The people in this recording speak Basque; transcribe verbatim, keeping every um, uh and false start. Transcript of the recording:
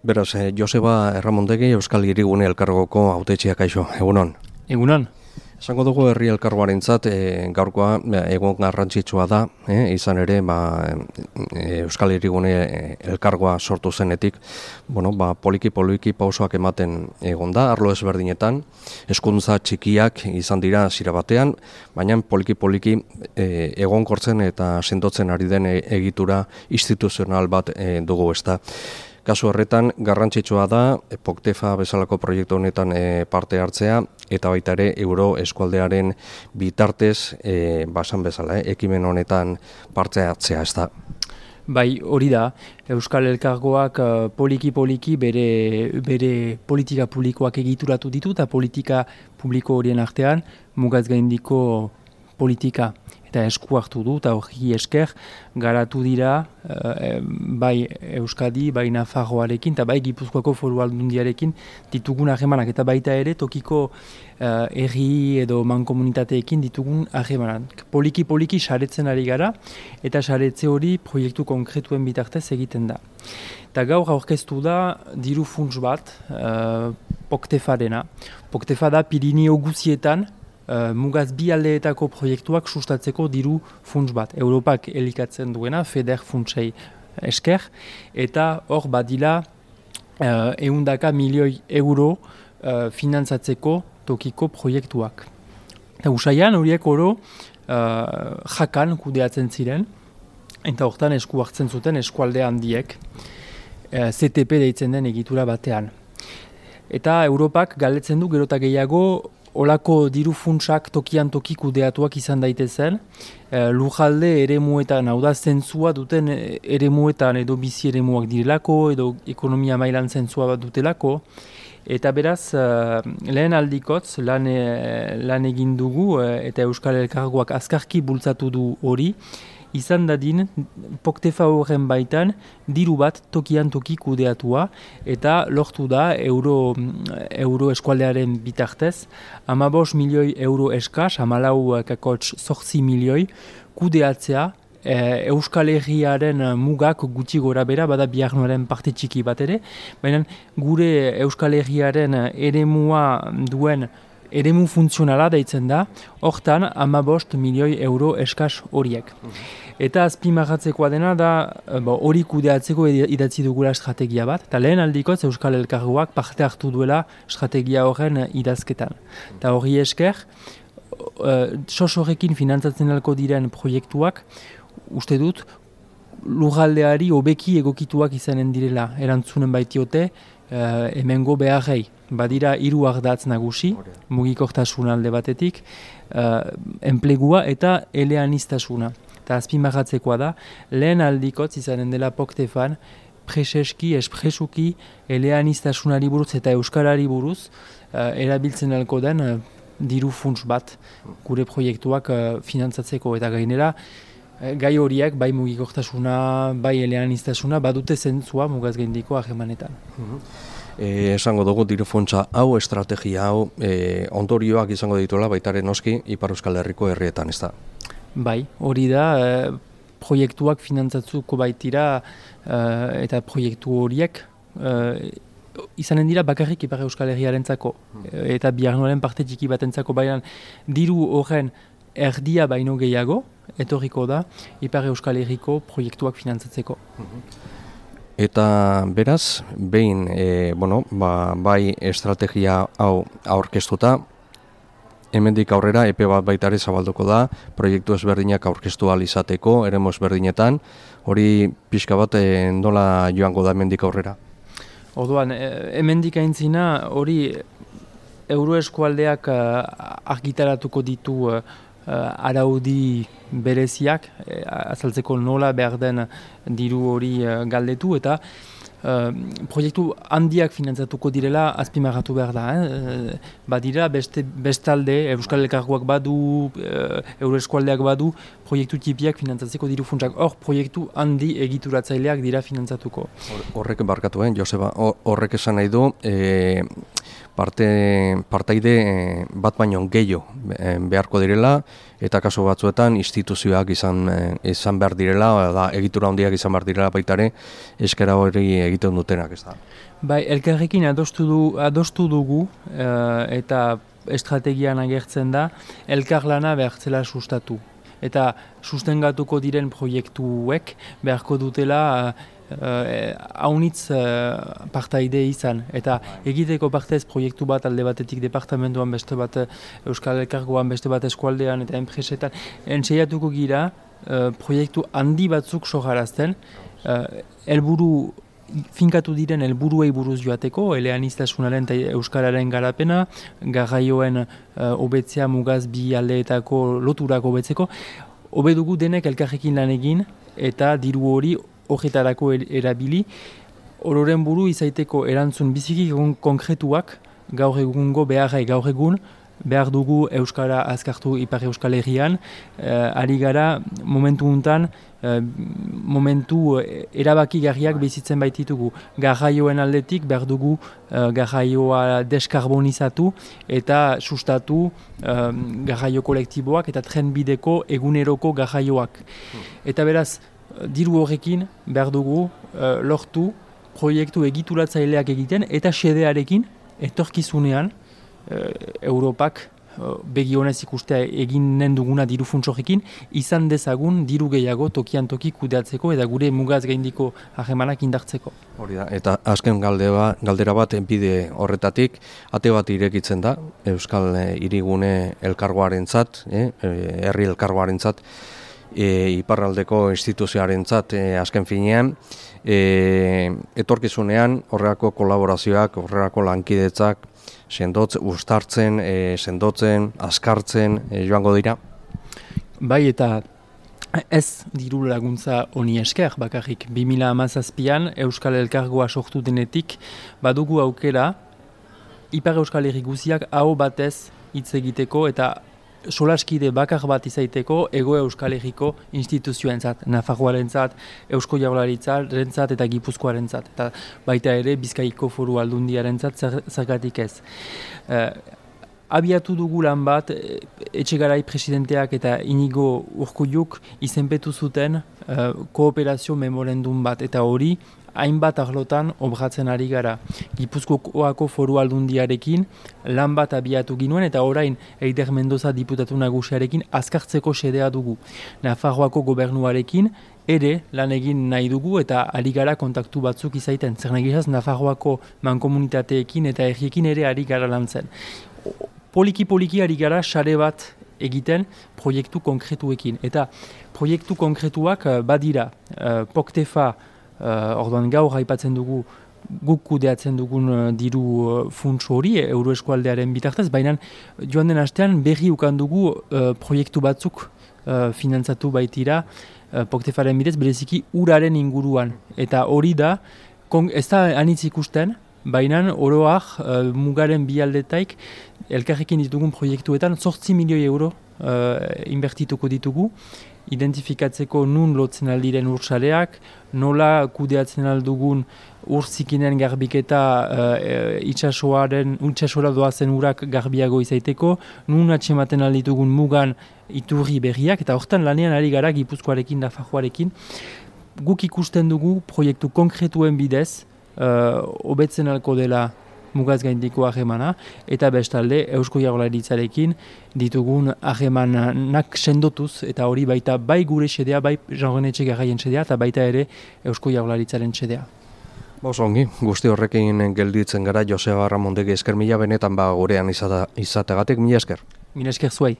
Beraz, eh, Joseba Erramondegi Euskal Hirigune Elkargoko hautetxea kaixo, egunon. Egunon. Esango dugu herri elkargoarentzat e, gaurkoa egon garrantzitsua da, e, izan ere ba, e, Euskal Hirigune Elkargoa sortu zenetik, bueno, ba, poliki-poliki pausoak ematen egon da, arlo ezberdinetan, hezkuntza txikiak izan dira zira batean, baina poliki-poliki e, egonkortzen eta sendotzen ari den egitura instituzional bat e, dugu ez da. Kasu horretan garrantzitsua da Poktefa bezalako proiektu honetan e, parte hartzea eta baita ere Euro eskualdearen bitartez e, basan bezala, e, ekimen honetan parte hartzea ez da. Bai, hori da, Euskal Elkargoak poliki-poliki bere, bere politika publikoak egituratu ditu eta politika publiko horien artean mugaz gaindiko politika eta esku hartu du, eta hori esker garatu dira e, bai Euskadi, bai Nafarroarekin, eta bai Gipuzkoako Foru Aldundiarekin ditugun harremanak, eta baita ere tokiko uh, herri edo mankomunitateekin ditugun harremanak. Poliki-poliki saretzen ari gara, eta saretze hori proiektu konkretuen bitartez egiten da. Eta gaur aurkeztu da diru funts bat, uh, Poktefa dena. Poktefa da Pirinio guzietan, Uh, mugaz bi aldeetako proiektuak sustatzeko diru funts bat. Europak elikatzen duena, FEDER funtsei esker, eta hor badila uh, ehundaka milioi euro uh, finantzatzeko tokiko proiektuak. Eta usaian horiek oro uh, jakan kudeatzen ziren, eta hortan esku hartzen zuten eskualde handiek, uh, C T P deitzen den egitura batean. Eta Europak galdetzen du gero eta gehiago olako diru funtsak tokian toki kudeatuak izan daitezen, e, lujalde eremuetan, hau da zentzua duten eremuetan edo bizi eremuak direlako, edo ekonomia mailan zentzua bat dutelako, eta beraz, e, lehen aldikotz lan, e, lan egin dugu eta Euskal Elkargoak azkarki bultzatu du hori, izan dadin Poktefa horren baitan diru bat tokian toki kudeatua eta lortu da euro, euro eskualdearen bitartez hamabost milioi euro eskas, hamalau kakotx zortzi milioi kudeatzea e, Euskal Herriaren mugak gutxi gora bera, bada biharnoaren parte txiki bat ere, baina gure Euskal Herriaren eremua duen eremu funtzionala deitzen da, hortan hamabost milioi euro eskas horiek. Eta azpimarratzekoa dena da hori kudeatzeko idatzi dugula estrategia bat, eta lehen aldikotz Euskal Elkargoak parte hartu duela estrategia horren idazketan. Eta hori esker, sos horrekin finantzatzen alko diren proiektuak, uste dut, lurraldeari hobeki egokituak izanen direla, erantzunen baitiote, Uh, hemengo beharrei. Badira hiru ardatz nagusi, mugikortasun alde batetik, uh, enplegua eta eleaniztasuna. Eta azpimarratzekoa da, lehen aldikotz izanen dela Poktefan, preseski, espresuki, eleaniztasunari buruz eta euskarari buruz, uh, erabiltzen alko den uh, diru funts bat gure proiektuak uh, finantzatzeko eta gainera, gai horiek, bai mugikortasuna, bai eleaniztasuna, badute zentzua mugaz gaindiko harremanetan. E, esango dugu diru funtsa hau, estrategia hau, e, ondorioak izango dituela baitaren noski Ipar Euskal Herriko herrietan, ez da? Bai, hori da, e, proiektuak finantzatzuko baitira e, eta proiektu horiek e, izanen dira bakarrik Ipar Euskal Herriarentzako eta biharnoaren parte txiki batentzako, baina diru horren erdia baino gehiago, etorriko da, Ipar Euskal Herriko proiektuak finantzatzeko. Eta beraz, behin, e, bueno, ba, bai estrategia hau aurkeztuta, hemendik aurrera epe bat baitare zabalduko da, proiektu ezberdinak aurkeztu ahal izateko, eremu ezberdinetan, hori pixka bat e, nola joango da hemendik aurrera? Orduan, hemendik aintzina hori euroeskualdeak uh, argitaratuko ditu uh, araudi bereziak, eh, azaltzeko nola behar den diru hori uh, galdetu, eta uh, proiektu handiak finantzatuko direla azpimarratu behar da. Eh? Badira beste, bestalde, Euskal Elkargoak badu, uh, euroeskualdeak badu, proiektu tipiak finantzatzeko diru funtsak. Hor, proiektu handi egituratzaileak dira finantzatuko. Horrek barkatu, eh, Joseba, horrek esan nahi du, e, parte, partaide bat baino gehiago beharko direla, eta kasu batzuetan instituzioak izan, izan behar direla, da, egitura handiak izan behar direla baitare, eskera hori egiten dutenak, ez da. Bai, elkarrekin adostu, du, adostu dugu eta estrategian agertzen da, elkarlana behartzela sustatu. Eta sustengatuko diren proiektuek beharko dutela haunitz uh, uh, partaide izan. Eta egiteko partez proiektu bat alde batetik departamentuan, beste bat Euskal Elkargoan, beste bat eskualdean eta enpresetan. Entseiatuko gira uh, proiektu handi batzuk soharazten, uh, helburu finkatu diren helburuei buruz joateko, eleaniztasunaren eta euskararen garapena, garraioen hobetzea uh, mugaz bi aldeetako loturak hobetzeko, hobe dugu denek elkarrekin lan egin eta diru hori horretarako erabili, ororen buru izaiteko erantzun biziki konkretuak gaur egungo beharrai gaur egun, behar dugu Euskara azkartu Ipar Euskal Herrian, uh, ari gara momentu untan, uh, momentu erabakigarriak bizitzen baititugu. Garraioen aldetik behar dugu uh, garraioa deskarbonizatu eta sustatu uh, garraio kolektiboak eta trenbideko eguneroko garraioak. Eta beraz, diru horrekin behar dugu uh, lortu proiektu egituratzaileak egiten eta xedearekin etorkizunean Europak begionez ikustea eginen duguna diru funtsorekin, izan dezagun diru gehiago tokian toki kudeatzeko eta gure mugaz gaindiko harremanak indartzeko. Hori da, eta azken galdera, galdera bat bide horretatik, ate bat irekitzen da, Euskal Hirigune elkargoarentzat, eh, herri elkargoarentzat, e, iparraldeko instituzioarentzat e, azken finean, e, etorkizunean horrelako kolaborazioak, horrelako lankidetzak, sendotz, ustartzen, e, sendotzen, azkartzen e, joango dira? Bai, eta ez diru laguntza honi esker bakarrik. bi mila hamazazpian Euskal Elkargoa sortu denetik badugu aukera Ipar Euskal Herri guziak aho batez hitz egiteko eta solaskide bakar bat izaiteko Ego Euskal Herriko instituzioentzat, Nafarroarentzat, Eusko Jaurlaritzarentzat eta Gipuzkoarentzat, eta baita ere Bizkaiko Foru Aldundiarentzat zergatik ez. Uh, abiatu dugu lan bat, Etxegarai presidenteak eta Inigo Urkulluk izenpetu zuten uh, kooperazio memorandum bat, eta hori hainbat arlotan obratzen ari gara. Gipuzkoako Foru Aldundiarekin lan bat abiatu ginuen eta orain Eider Mendoza diputatu nagusiarekin azkartzeko xedea dugu. Nafarroako gobernuarekin ere lan egin nahi dugu eta ari gara kontaktu batzuk izaiten. Zer nahi gizaz, Nafarroako mankomunitateekin eta herriekin ere ari gara lan zen. Poliki-poliki ari gara sare bat egiten proiektu konkretuekin. Eta proiektu konkretuak badira, uh, Poktefa, Uh, orduan gaur aipatzen dugu guk kudeatzen dugun uh, diru uh, funts hori Euroeskualdearen bitartez, baina joan den astean berri ukan dugu uh, proiektu batzuk uh, finantzatu baitira uh, Poktefaren bidez bereziki uraren inguruan. Eta hori da, ez da anitz ikusten, baina oroak uh, mugaren bi aldetaik elkarrekin ditugun proiektuetan zortzi milioi euro uh, inbertituko ditugu, identifikatzeko nun lotzen aldiren ursareak, nola kudeatzen aldugun urzikinen garbiketa uh, itxasoaren, itxasora doazen urak garbiago izaiteko, nun atxematen alditugun mugan iturri berriak, eta hortan lanean ari gara Gipuzkoarekin, Nafarroarekin, guk ikusten dugu proiektu konkretuen bidez, hobetzen uh, alko dela mugaz gaindiko harremana, eta bestalde Eusko Jaurlaritzarekin ditugun harremanak sendotuz, eta hori baita bai gure xedea, bai Jean-René Etxegarraien xedea, eta baita ere Eusko Jaurlaritzaren xedea. Bos ongi, guzti horrekin gelditzen gara Joseba Ramondegi esker mila benetan ba gurean izategatik, mila esker. Mila esker zuei.